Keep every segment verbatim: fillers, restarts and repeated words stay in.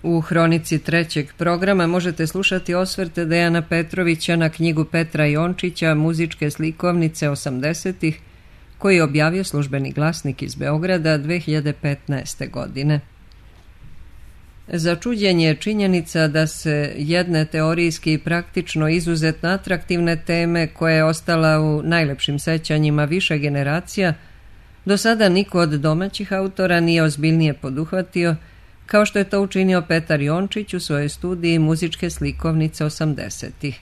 U hronici trećeg programa možete slušati osvrte Dejana Petrovića na knjigu Petra Jončića Muzičke slikovnice osamdesetih, koji je objavio Službeni glasnik iz Beograda dve hiljade petnaeste. godine. Začuđenje je činjenica da se jedne teorijski i praktično izuzetno atraktivne teme, koja je ostala u najlepšim sećanjima više generacija, do sada niko od domaćih autora nije ozbiljnije poduhvatio, kao što je to učinio Petar Jončić u svojoj studiji Muzičke slikovnice osamdesetih.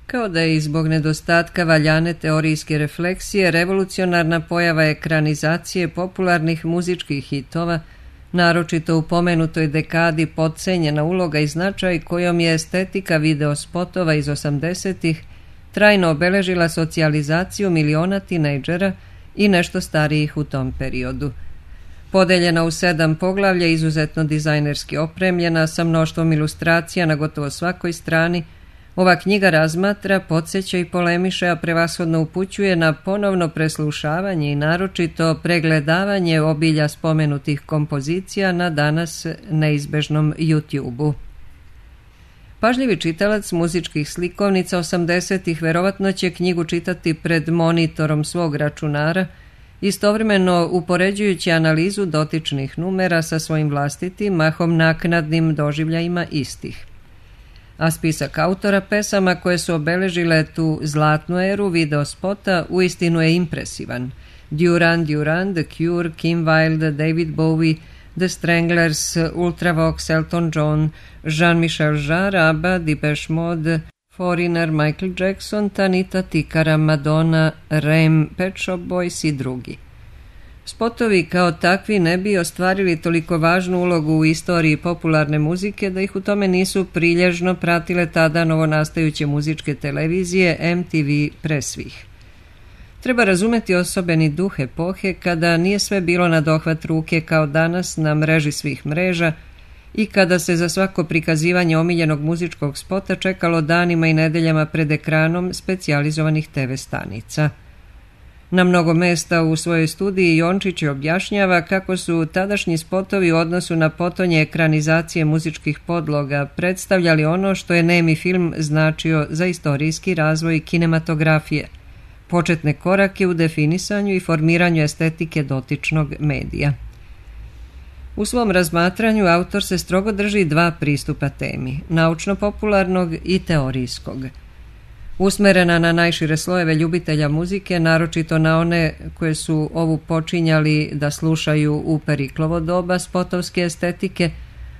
Kao da je i zbog nedostatka valjane teorijske refleksije revolucionarna pojava ekranizacije popularnih muzičkih hitova, naročito u pomenutoj dekadi potcenjena uloga i značaj kojom je estetika videospotova iz osamdesetih trajno obeležila socijalizaciju miliona tinejdžera i nešto starijih u tom periodu. Podeljena u sedam poglavlja, izuzetno dizajnerski opremljena, sa mnoštvom ilustracija na gotovo svakoj strani, ova knjiga razmatra, podsjeća i polemiše, a prevashodno upućuje na ponovno preslušavanje i naročito pregledavanje obilja spomenutih kompozicija na danas neizbežnom YouTube-u. Pažljivi čitalac muzičkih slikovnica osamdesetih verovatno će knjigu čitati pred monitorom svog računara, istovremeno upoređujući analizu dotičnih numera sa svojim vlastitim, mahom naknadnim doživljajima istih. A spisak autora pesama koje su obeležile tu zlatnu eru videospota uistinu je impresivan. Duran Duran, The Cure, Kim Wilde, David Bowie, The Stranglers, Ultravox, Elton John, Jean-Michel Jarre, ABBA, Depeche Mode, Foreigner, Michael Jackson, Tanita Tikara, Madonna, Rem, Pet Shop Boys i drugi. Spotovi kao takvi ne bi ostvarili toliko važnu ulogu u istoriji popularne muzike da ih u tome nisu prilježno pratile tada novonastajuće muzičke televizije M T V pre svih. Treba razumeti osobeni duh epohe kada nije sve bilo na dohvat ruke kao danas na mreži svih mreža i kada se za svako prikazivanje omiljenog muzičkog spota čekalo danima i nedeljama pred ekranom specijalizovanih te ve stanica. Na mnogo mesta u svojoj studiji Jončić objašnjava kako su tadašnji spotovi u odnosu na potonje ekranizacije muzičkih podloga predstavljali ono što je nemi film značio za istorijski razvoj kinematografije, početne korake u definisanju i formiranju estetike dotičnog medija. U svom razmatranju autor se strogo drži dva pristupa temi, naučno-popularnog i teorijskog. Usmerena na najšire slojeve ljubitelja muzike, naročito na one koje su ovu počinjali da slušaju u Periklovo doba spotovske estetike,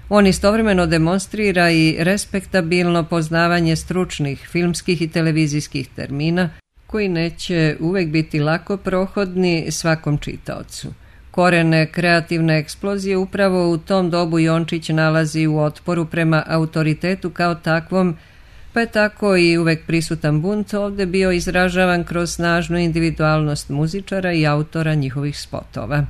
on istovremeno demonstrira i respektabilno poznavanje stručnih filmskih i televizijskih termina, koji neće uvek biti lako prohodni svakom čitaocu. Korene kreativne eksplozije upravo u tom dobu Jončić nalazi u otporu prema autoritetu kao takvom, pa je tako i uvek prisutan bunt ovde bio izražavan kroz snažnu individualnost muzičara i autora njihovih spotova.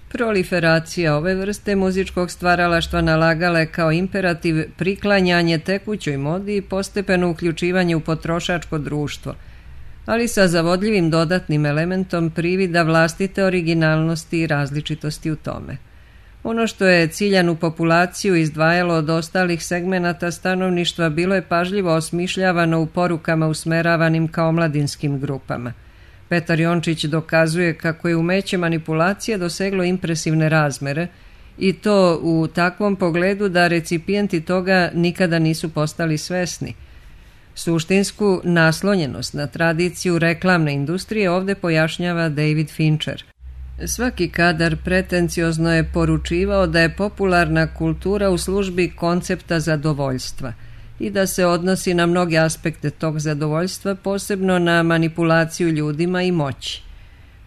Proliferacija ove vrste muzičkog stvaralaštva nalagala je kao imperativ priklanjanje tekućoj modi i postepeno uključivanje u potrošačko društvo, ali sa zavodljivim dodatnim elementom privida vlastite originalnosti i različitosti u tome. Ono što je ciljanu populaciju izdvajalo od ostalih segmenata stanovništva bilo je pažljivo osmišljavano u porukama usmeravanim ka omladinskim grupama. Petar Jončić dokazuje kako je umeće manipulacije doseglo impresivne razmere i to u takvom pogledu da recipijenti toga nikada nisu postali svesni. Suštinsku naslonjenost na tradiciju reklamne industrije ovde pojašnjava David Fincher. Svaki kadar pretenciozno je poručivao da je popularna kultura u službi koncepta zadovoljstva i da se odnosi na mnoge aspekte tog zadovoljstva, posebno na manipulaciju ljudima i moći.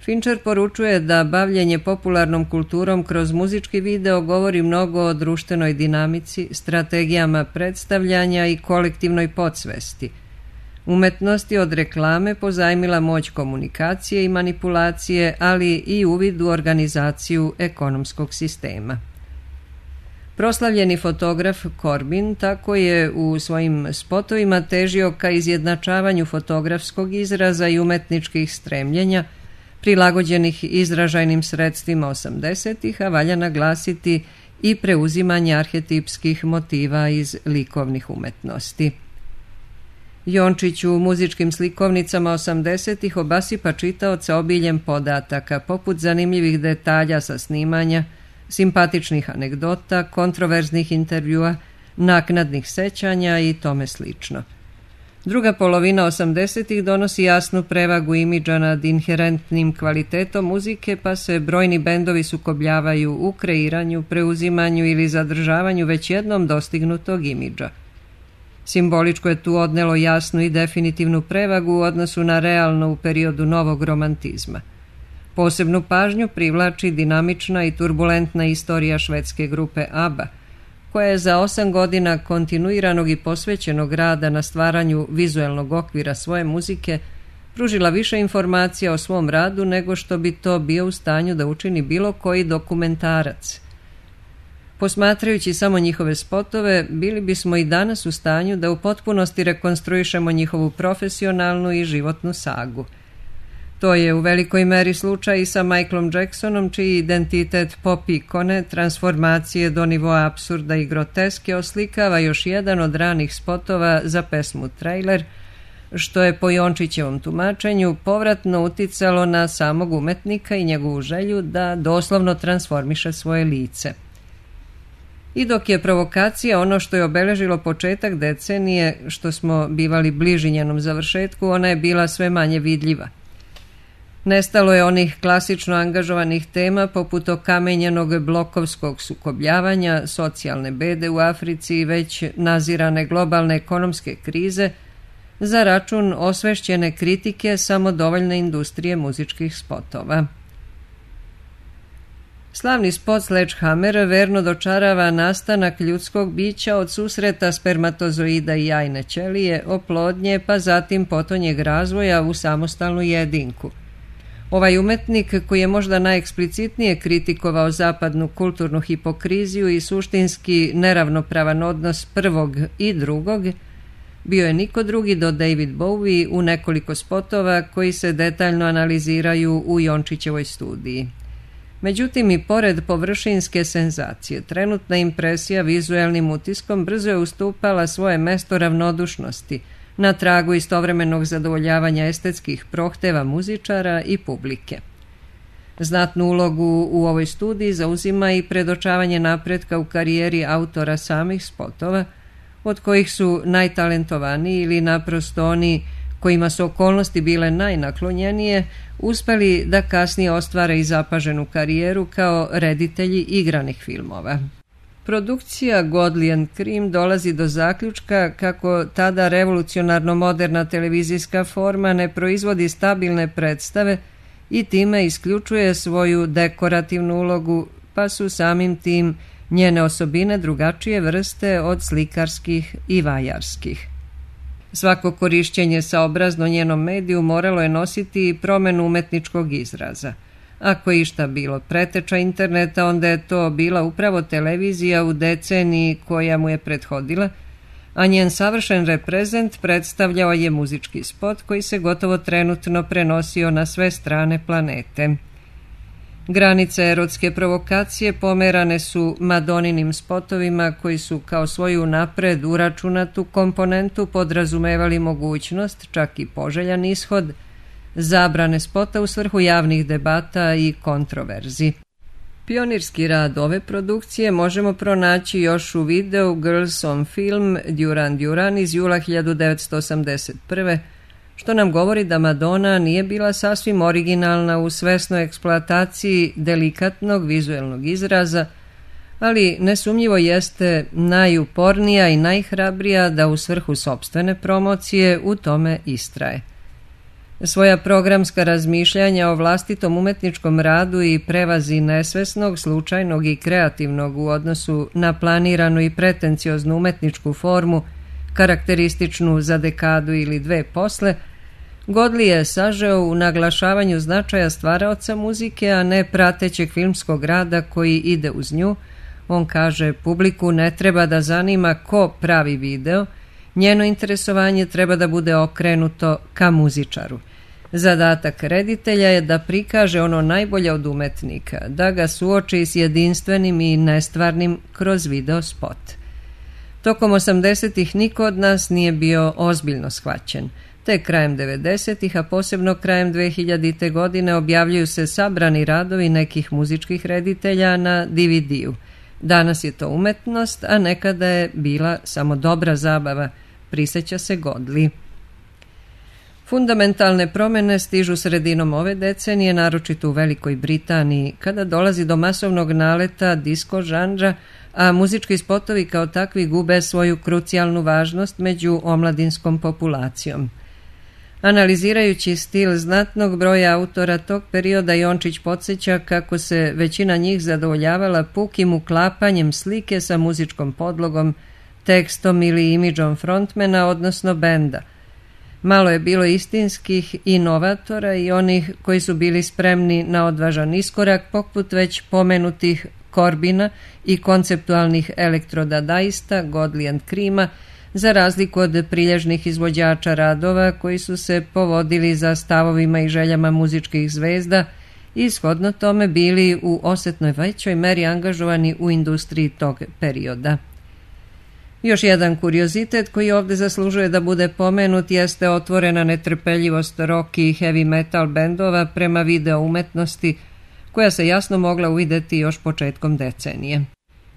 Fincher poručuje da bavljenje popularnom kulturom kroz muzički video govori mnogo o društvenoj dinamici, strategijama predstavljanja i kolektivnoj podsvesti. Umetnost je od reklame pozajmila moć komunikacije i manipulacije, ali i uvid u organizaciju ekonomskog sistema. Proslavljeni fotograf Corbin tako je u svojim spotovima težio ka izjednačavanju fotografskog izraza i umetničkih stremljenja, prilagođenih izražajnim sredstvima osamdesetih, a valja naglasiti i preuzimanje arhetipskih motiva iz likovnih umetnosti. Jončić u muzičkim slikovnicama osamdesetih obasipa čitaoca obiljem podataka, poput zanimljivih detalja sa snimanja, simpatičnih anegdota, kontroverznih intervjua, naknadnih sećanja i tome slično. Druga polovina osamdesetih donosi jasnu prevagu imidža nad inherentnim kvalitetom muzike, pa se brojni bendovi sukobljavaju u kreiranju, preuzimanju ili zadržavanju već jednom dostignutog imidža. Simboličko je tu odnelo jasnu i definitivnu prevagu u odnosu na realno u periodu novog romantizma. Posebnu pažnju privlači dinamična i turbulentna istorija švedske grupe ABBA, koja je za osam godina kontinuiranog i posvećenog rada na stvaranju vizuelnog okvira svoje muzike pružila više informacija o svom radu nego što bi to bio u stanju da učini bilo koji dokumentarac. Posmatrajući samo njihove spotove, bili bismo i danas u stanju da u potpunosti rekonstruišemo njihovu profesionalnu i životnu sagu. To je u velikoj meri slučaj i sa Michaelom Jacksonom, čiji identitet pop ikone, transformacije do nivoa apsurda i groteske oslikava još jedan od ranih spotova za pesmu Trailer, što je po Jončićevom tumačenju povratno uticalo na samog umetnika i njegovu želju da doslovno transformiše svoje lice. I dok je provokacija ono što je obeležilo početak decenije, što smo bivali bliži njenom završetku, ona je bila sve manje vidljiva. Nestalo je onih klasično angažovanih tema poput okamenjenog blokovskog sukobljavanja, socijalne bede u Africi i već nazirane globalne ekonomske krize za račun osvešćene kritike samodovoljne industrije muzičkih spotova. Slavni spot Sledgehammer verno dočarava nastanak ljudskog bića od susreta spermatozoida i jajne ćelije, oplodnje pa zatim potonjeg razvoja u samostalnu jedinku. Ovaj umetnik, koji je možda najeksplicitnije kritikovao zapadnu kulturnu hipokriziju i suštinski neravnopravan odnos prvog i drugog, bio je niko drugi do David Bowie u nekoliko spotova koji se detaljno analiziraju u Jončićevoj studiji. Međutim, i pored površinske senzacije, trenutna impresija vizuelnim utiskom brzo je ustupala svoje mesto ravnodušnosti, na tragu istovremenog zadovoljavanja estetskih prohteva muzičara i publike. Znatnu ulogu u ovoj studiji zauzima i predočavanje napretka u karijeri autora samih spotova, od kojih su najtalentovaniji ili naprosto oni kojima su okolnosti bile najnaklonjenije, uspeli da kasnije ostvare i zapaženu karijeru kao reditelji igranih filmova. Produkcija Godley and Creme dolazi do zaključka kako tada revolucionarno moderna televizijska forma ne proizvodi stabilne predstave i time isključuje svoju dekorativnu ulogu, pa su samim tim njene osobine drugačije vrste od slikarskih i vajarskih. Svako korišćenje saobrazno njenom mediju moralo je nositi i promenu umetničkog izraza. Ako je išta bilo preteča interneta, onda je to bila upravo televizija u deceniji koja mu je prethodila, a njen savršen reprezent predstavljao je muzički spot koji se gotovo trenutno prenosio na sve strane planete. Granice erotske provokacije pomerane su Madoninim spotovima koji su kao svoju napred uračunatu komponentu podrazumevali mogućnost, čak i poželjan ishod, zabrane spota u svrhu javnih debata i kontroverzi. Pionirski rad ove produkcije možemo pronaći još u videu Girls on Film Duran Duran iz jula hiljadu devetsto osamdeset prve, što nam govori da Madonna nije bila sasvim originalna u svesnoj eksploataciji delikatnog vizuelnog izraza, ali nesumnjivo jeste najupornija i najhrabrija da u svrhu sopstvene promocije u tome istraje. Svoja programska razmišljanja o vlastitom umetničkom radu i prevazi nesvesnog, slučajnog i kreativnog u odnosu na planiranu i pretencioznu umetničku formu, karakterističnu za dekadu ili dve posle, Godley je sažeo u naglašavanju značaja stvaraoca muzike, a ne pratećeg filmskog rada koji ide uz nju. On kaže, publiku ne treba da zanima ko pravi video, njeno interesovanje treba da bude okrenuto ka muzičaru. Zadatak reditelja je da prikaže ono najbolje od umetnika, da ga suoči s jedinstvenim i nestvarnim kroz video spot. Tokom osamdesetih niko od nas nije bio ozbiljno shvaćen. Te krajem devedesetih, a posebno krajem dvehiljadite. godine objavljuju se sabrani radovi nekih muzičkih reditelja na D V D-u. Danas je to umetnost, a nekada je bila samo dobra zabava, prisjeća se Godley. Fundamentalne promjene stižu sredinom ove decenije, naročito u Velikoj Britaniji, kada dolazi do masovnog naleta disko žanra, a muzički spotovi kao takvi gube svoju krucijalnu važnost među omladinskom populacijom. Analizirajući stil znatnog broja autora tog perioda, Jončić podsjeća kako se većina njih zadovoljavala pukim uklapanjem slike sa muzičkom podlogom, tekstom ili imidžom frontmena, odnosno benda. Malo je bilo istinskih inovatora i onih koji su bili spremni na odvažan iskorak, poput već pomenutih Corbina i konceptualnih elektrodadaista Godley and Creama, za razliku od prilježnih izvođača radova koji su se povodili za stavovima i željama muzičkih zvezda i shodno tome bili u osetnoj većoj meri angažovani u industriji tog perioda. Još jedan kuriozitet koji ovdje zaslužuje da bude pomenut jeste otvorena netrpeljivost rock i heavy metal bendova prema video umetnosti, koja se jasno mogla uvidjeti još početkom decenije.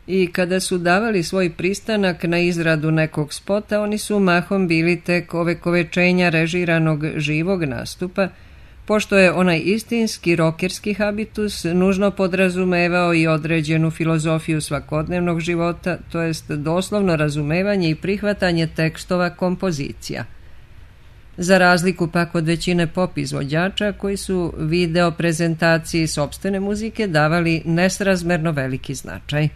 I kada su davali svoj pristanak na izradu nekog spota, oni su mahom bili tek ovekovečenja režiranog živog nastupa, pošto je onaj istinski rokerski habitus nužno podrazumevao i određenu filozofiju svakodnevnog života, to jest doslovno razumevanje i prihvatanje tekstova kompozicija. Za razliku pak od većine pop izvođača koji su video prezentaciji sopstvene muzike davali nesrazmerno veliki značaj.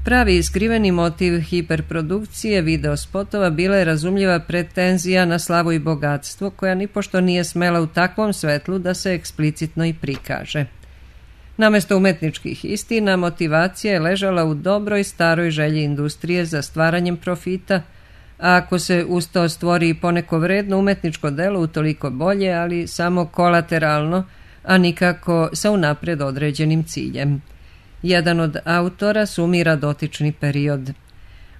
Pravi i skriveni motiv hiperprodukcije videospotova bila je razumljiva pretenzija na slavu i bogatstvo, koja nipošto nije smela u takvom svetlu da se eksplicitno i prikaže. Namesto umetničkih istina, motivacija je ležala u dobroj staroj želji industrije za stvaranjem profita, a ako se uz to stvori i poneko vredno umetničko delo, utoliko bolje, ali samo kolateralno, a nikako sa unapred određenim ciljem. Jedan od autora sumira dotični period.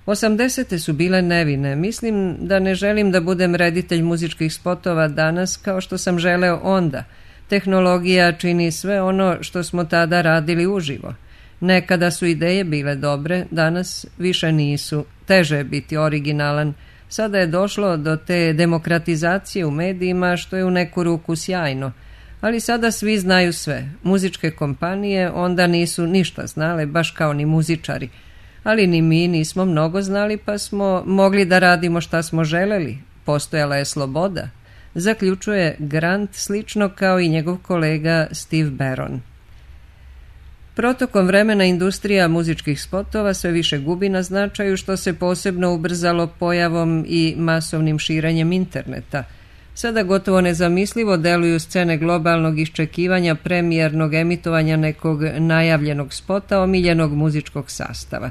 Osamdesete su bile nevine. Mislim da ne želim da budem reditelj muzičkih spotova danas kao što sam želeo onda. Tehnologija čini sve ono što smo tada radili uživo. Nekada su ideje bile dobre, danas više nisu. Teže je biti originalan. Sada je došlo do te demokratizacije u medijima, što je u neku ruku sjajno. Ali sada svi znaju sve. Muzičke kompanije onda nisu ništa znale, baš kao ni muzičari. Ali ni mi nismo mnogo znali, pa smo mogli da radimo šta smo želeli. Postojala je sloboda. Zaključuje Grant slično kao i njegov kolega Steve Barron. Protokom vremena industrija muzičkih spotova sve više gubi na značaju, što se posebno ubrzalo pojavom i masovnim širenjem interneta. Sada gotovo nezamislivo deluju scene globalnog iščekivanja premijernog emitovanja nekog najavljenog spota omiljenog muzičkog sastava.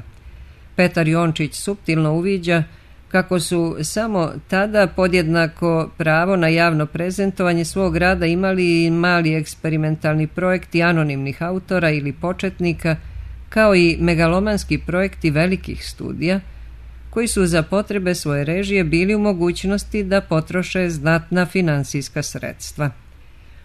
Petar Jončić suptilno uviđa kako su samo tada podjednako pravo na javno prezentovanje svog rada imali i mali eksperimentalni projekti anonimnih autora ili početnika, kao i megalomanski projekti velikih studija, koji su za potrebe svoje režije bili u mogućnosti da potroše znatna finansijska sredstva.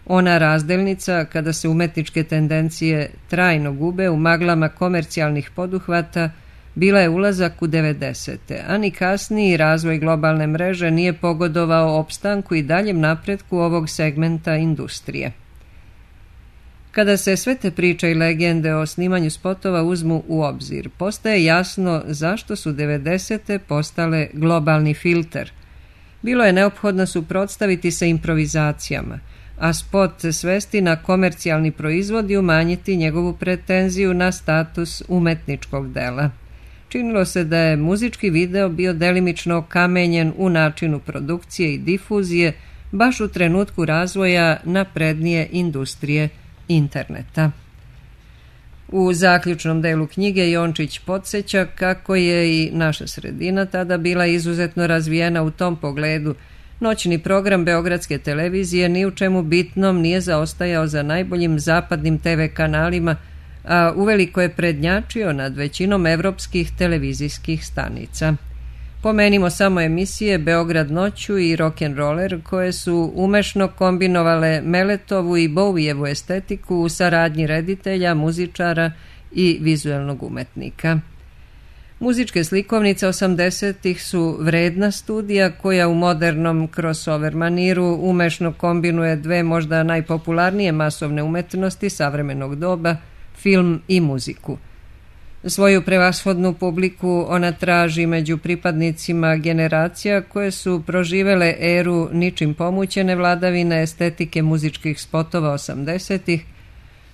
Ona razdelnica, kada se umetničke tendencije trajno gube u maglama komercijalnih poduhvata, bila je ulazak u devedesete, a ni kasniji razvoj globalne mreže nije pogodovao opstanku i daljem napretku ovog segmenta industrije. Kada se sve te priče i legende o snimanju spotova uzmu u obzir, postaje jasno zašto su devedesete postale globalni filter. Bilo je neophodno suprotstaviti se improvizacijama, a spot svesti na komercijalni proizvod i umanjiti njegovu pretenziju na status umetničkog dela. Činilo se da je muzički video bio delimično kamenjen u načinu produkcije i difuzije, baš u trenutku razvoja naprednije industrije interneta. U zaključnom delu knjige Jončić podsjeća kako je i naša sredina tada bila izuzetno razvijena u tom pogledu, Noćni program Beogradske televizije ni u čemu bitnom nije zaostajao za najboljim zapadnim te ve kanalima, a uveliko je prednjačio nad većinom evropskih televizijskih stanica. Pomenimo samo emisije Beograd noću i Rock'n'Roller koje su umešno kombinovale Meletovu i Bowijevu estetiku u saradnji reditelja, muzičara i vizuelnog umetnika. Muzičke slikovnice osamdesetih su vredna studija koja u modernom crossover maniru umešno kombinuje dve možda najpopularnije masovne umetnosti savremenog doba, film i muziku. Svoju prevashodnu publiku ona traži među pripadnicima generacija koje su proživele eru ničim pomućene vladavine estetike muzičkih spotova osamdesetih,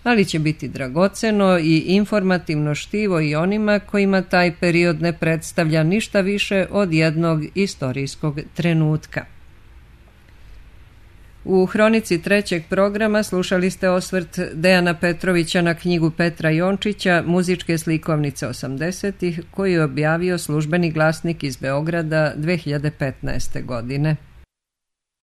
ali će biti dragoceno i informativno štivo i onima kojima taj period ne predstavlja ništa više od jednog istorijskog trenutka. U hronici trećeg programa slušali ste osvrt Dejana Petrovića na knjigu Petra Jončića Muzičke slikovnice osamdesetih, koju je objavio Službeni glasnik iz Beograda dve hiljade petnaeste. godine.